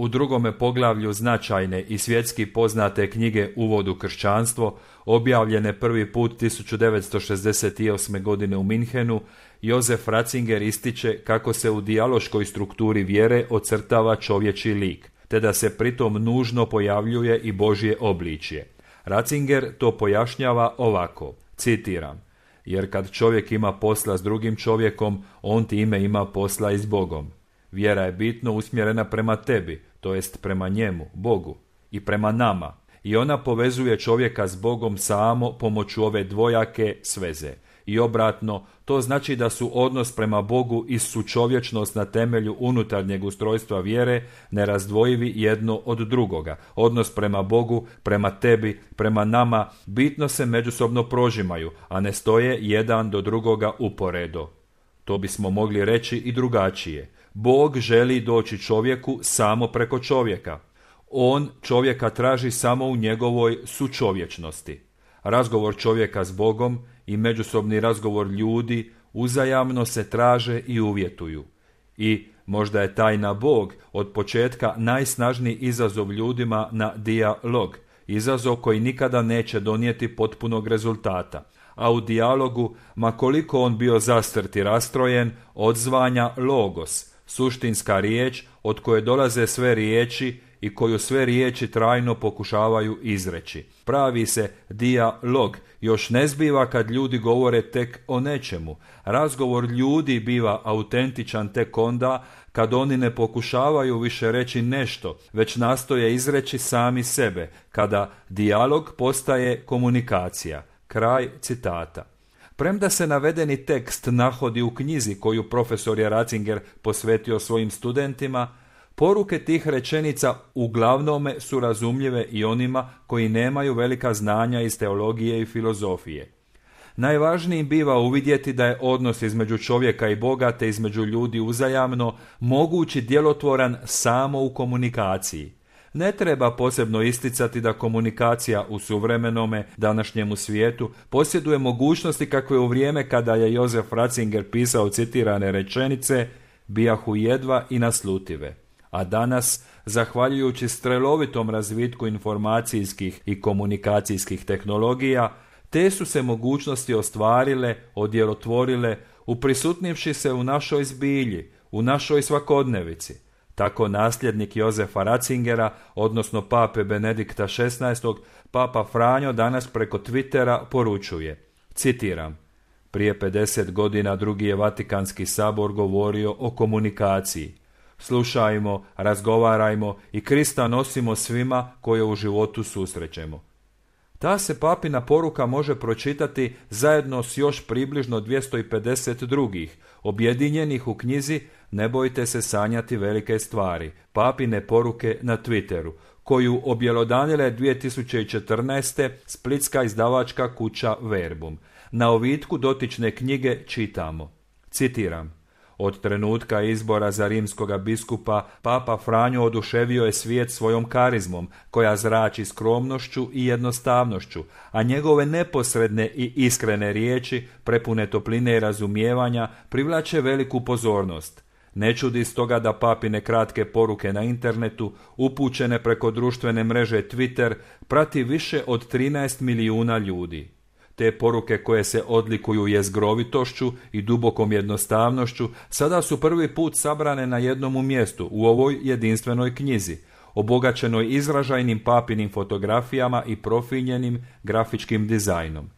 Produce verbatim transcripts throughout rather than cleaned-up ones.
U drugome poglavlju značajne i svjetski poznate knjige Uvod u kršćanstvo, objavljene prvi put tisuću devetsto šezdeset osme. godine u Minhenu, Josef Ratzinger ističe kako se u dijaloškoj strukturi vjere ocrtava čovječji lik, te da se pritom nužno pojavljuje i Božje obličje. Ratzinger to pojašnjava ovako, citiram: jer kad čovjek ima posla s drugim čovjekom, on time ima posla i s Bogom. Vjera je bitno usmjerena prema tebi, to jest prema njemu, Bogu, i prema nama, i ona povezuje čovjeka s Bogom samo pomoću ove dvojake sveze. I obratno, to znači da su odnos prema Bogu i sučovječnost na temelju unutarnjeg ustrojstva vjere nerazdvojivi jedno od drugoga. Odnos prema Bogu, prema tebi, prema nama bitno se međusobno prožimaju, a ne stoje jedan do drugoga uporedo. To bismo mogli reći i drugačije. Bog želi doći čovjeku samo preko čovjeka. On čovjeka traži samo u njegovoj sučovječnosti. Razgovor čovjeka s Bogom i međusobni razgovor ljudi uzajamno se traže i uvjetuju. I možda je tajna Bog od početka najsnažniji izazov ljudima na dijalog, izazov koji nikada neće donijeti potpunog rezultata. A u dijalogu, ma koliko on bio zastrt i rastrojen, odzvanja logos, suštinska riječ od koje dolaze sve riječi i koju sve riječi trajno pokušavaju izreći. Pravi se dijalog još ne zbiva kad ljudi govore tek o nečemu. Razgovor ljudi biva autentičan tek onda kad oni ne pokušavaju više reći nešto, već nastoje izreći sami sebe, kada dijalog postaje komunikacija. Kraj citata. Premda se navedeni tekst nahodi u knjizi koju profesor je Ratzinger posvetio svojim studentima, poruke tih rečenica uglavnome su razumljive i onima koji nemaju velika znanja iz teologije i filozofije. Najvažnijim biva uvidjeti da je odnos između čovjeka i Boga te između ljudi uzajamno mogući djelotvoran samo u komunikaciji. Ne treba posebno isticati da komunikacija u suvremenome današnjemu svijetu posjeduje mogućnosti kakve u vrijeme kada je Josef Ratzinger pisao citirane rečenice bijahu jedva i naslutive. A danas, zahvaljujući strelovitom razvitku informacijskih i komunikacijskih tehnologija, te su se mogućnosti ostvarile, odjelotvorile, uprisutnivši se u našoj zbilji, u našoj svakodnevici. Tako nasljednik Josefa Ratzingera, odnosno pape Benedikta šesnaestog, papa Franjo danas preko Twittera poručuje, citiram: prije pedeset godina drugi je Vatikanski sabor govorio o komunikaciji. Slušajmo, razgovarajmo i Krista nosimo svima koje u životu susrećemo. Ta se papina poruka može pročitati zajedno s još približno dvjesto pedeset drugih, objedinjenih u knjizi Ne bojte se sanjati velike stvari, papine poruke na Twitteru, koju objelodanile dvije tisuće četrnaeste. splitska izdavačka kuća Verbum. Na ovitku dotične knjige čitamo, citiram: od trenutka izbora za rimskoga biskupa, papa Franjo oduševio je svijet svojom karizmom, koja zrači skromnošću i jednostavnošću, a njegove neposredne i iskrene riječi, prepune topline i razumijevanja, privlače veliku pozornost. Ne čudi stoga da papine kratke poruke na internetu, upućene preko društvene mreže Twitter, prati više od trinaest milijuna ljudi. Te poruke koje se odlikuju jezgrovitošću i dubokom jednostavnošću sada su prvi put sabrane na jednomu mjestu u ovoj jedinstvenoj knjizi, obogaćenoj izražajnim papinim fotografijama i profinjenim grafičkim dizajnom.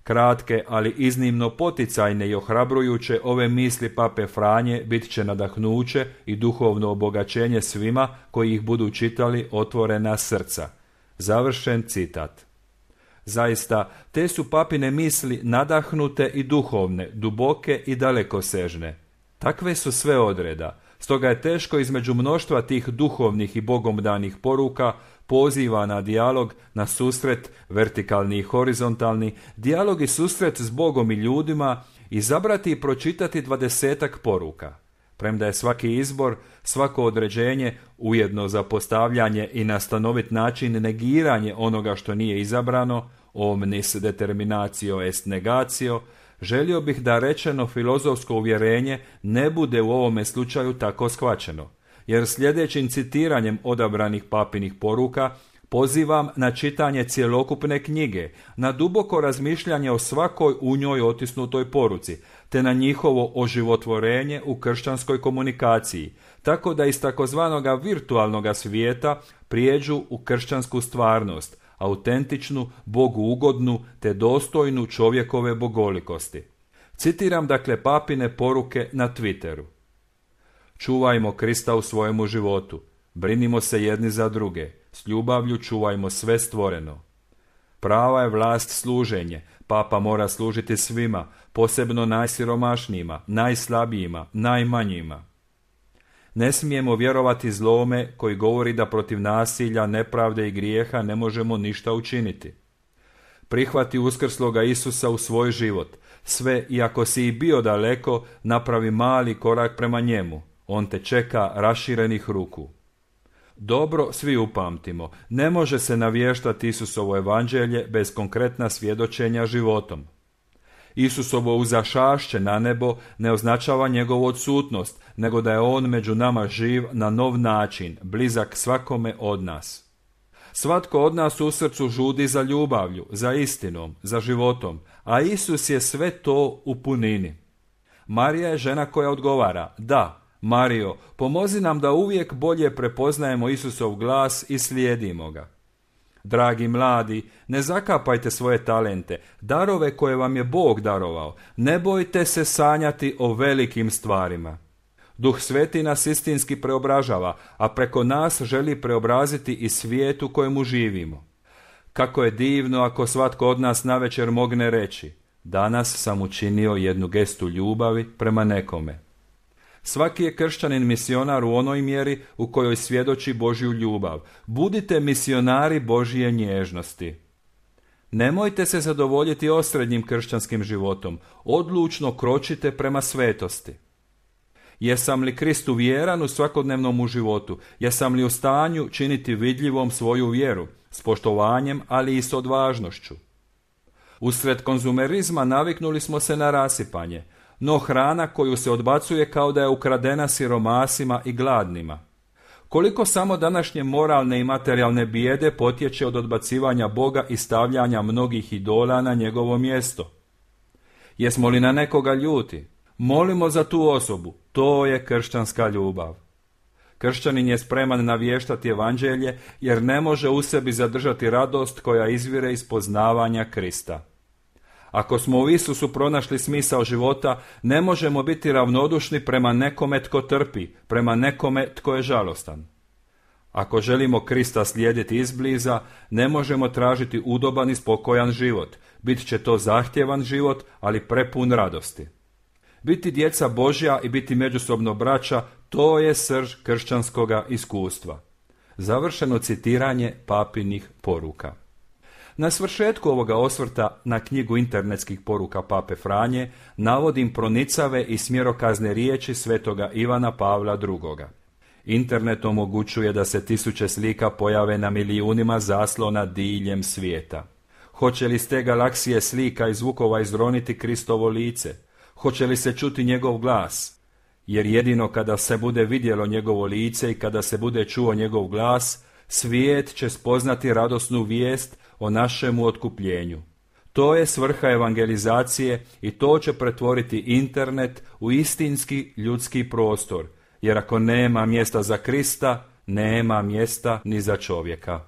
Kratke, ali iznimno poticajne i ohrabrujuće ove misli pape Franje bit će nadahnuće i duhovno obogaćenje svima koji ih budu čitali otvorena srca. Završen citat. Zaista, te su papine misli nadahnute i duhovne, duboke i dalekosežne. Takve su sve odreda, stoga je teško između mnoštva tih duhovnih i Bogom danih poruka, poziva na dijalog, na susret, vertikalni i horizontalni, dijalog i susret s Bogom i ljudima, izabrati i pročitati dvadesetak poruka. Premda je svaki izbor, svako određenje, ujedno za postavljanje i na stanovit način negiranje onoga što nije izabrano, omnis determinatio est negatio, želio bih da rečeno filozofsko uvjerenje ne bude u ovome slučaju tako shvaćeno. jer sljedećim citiranjem odabranih papinih poruka pozivam na čitanje cjelokupne knjige, na duboko razmišljanje o svakoj u njoj otisnutoj poruci, te na njihovo oživotvorenje u kršćanskoj komunikaciji, tako da iz takozvanoga virtualnoga svijeta prijeđu u kršćansku stvarnost, autentičnu, Bogu ugodnu te dostojnu čovjekove bogolikosti. Citiram dakle papine poruke na Twitteru. Čuvajmo Krista u svojemu životu, brinimo se jedni za druge, s ljubavlju čuvajmo sve stvoreno. Prava je vlast služenje, papa mora služiti svima, posebno najsiromašnijima, najslabijima, najmanjima. Ne smijemo vjerovati zlome koji govori da protiv nasilja, nepravde i grijeha ne možemo ništa učiniti. Prihvati uskrsloga Isusa u svoj život, sve i ako si i bio daleko, napravi mali korak prema njemu, on te čeka raširenih ruku. Dobro svi upamtimo, ne može se navještati Isusovo evanđelje bez konkretna svjedočenja životom. Isusovo uzašašće na nebo ne označava njegovu odsutnost, nego da je on među nama živ na nov način, blizak svakome od nas. Svatko od nas u srcu žudi za ljubavlju, za istinom, za životom, a Isus je sve to u punini. Marija je žena koja odgovara, da, Marijo, pomozi nam da uvijek bolje prepoznajemo Isusov glas i slijedimo ga. Dragi mladi, ne zakapajte svoje talente, darove koje vam je Bog darovao, ne bojte se sanjati o velikim stvarima. Duh Sveti nas istinski preobražava, a preko nas želi preobraziti i svijet u kojemu živimo. Kako je divno ako svatko od nas navečer mogne reći, danas sam učinio jednu gestu ljubavi prema nekome. Svaki je kršćanin misionar u onoj mjeri u kojoj svjedoči Božju ljubav. Budite misionari Božje nježnosti. Nemojte se zadovoljiti osrednjim kršćanskim životom, odlučno kročite prema svetosti. Jesam li Kristu vjeran u svakodnevnom životu? Jesam li u stanju činiti vidljivom svoju vjeru, s poštovanjem, ali i s odvažnošću? Usred konzumerizma naviknuli smo se na rasipanje, no hrana koju se odbacuje kao da je ukradena siromasima i gladnima. Koliko samo današnje moralne i materijalne bijede potječe od odbacivanja Boga i stavljanja mnogih idola na njegovo mjesto. Jesmo li na nekoga ljuti? Molimo za tu osobu, to je kršćanska ljubav. Kršćanin je spreman navještati evanđelje jer ne može u sebi zadržati radost koja izvire iz poznavanja Krista. Ako smo u Isusu pronašli smisao života, ne možemo biti ravnodušni prema nekome tko trpi, prema nekome tko je žalostan. Ako želimo Krista slijediti izbliza, ne možemo tražiti udoban i spokojan život. Bit će to zahtjevan život, ali prepun radosti. Biti djeca Božja i biti međusobno braća, to je srž kršćanskoga iskustva. Završeno citiranje papinih poruka. Na svršetku ovoga osvrta na knjigu internetskih poruka Pape Franje navodim pronicave i smjerokazne riječi svetoga Ivana Pavla drugoga. Internet omogućuje da se tisuće slika pojave na milijunima zaslona diljem svijeta. Hoće li s te galaksije slika i zvukova izroniti Kristovo lice? Hoće li se čuti njegov glas? Jer jedino kada se bude vidjelo njegovo lice i kada se bude čuo njegov glas, svijet će spoznati radosnu vijest o našemu otkupljenju. To je svrha evangelizacije i to će pretvoriti internet u istinski ljudski prostor, jer ako nema mjesta za Krista, nema mjesta ni za čovjeka.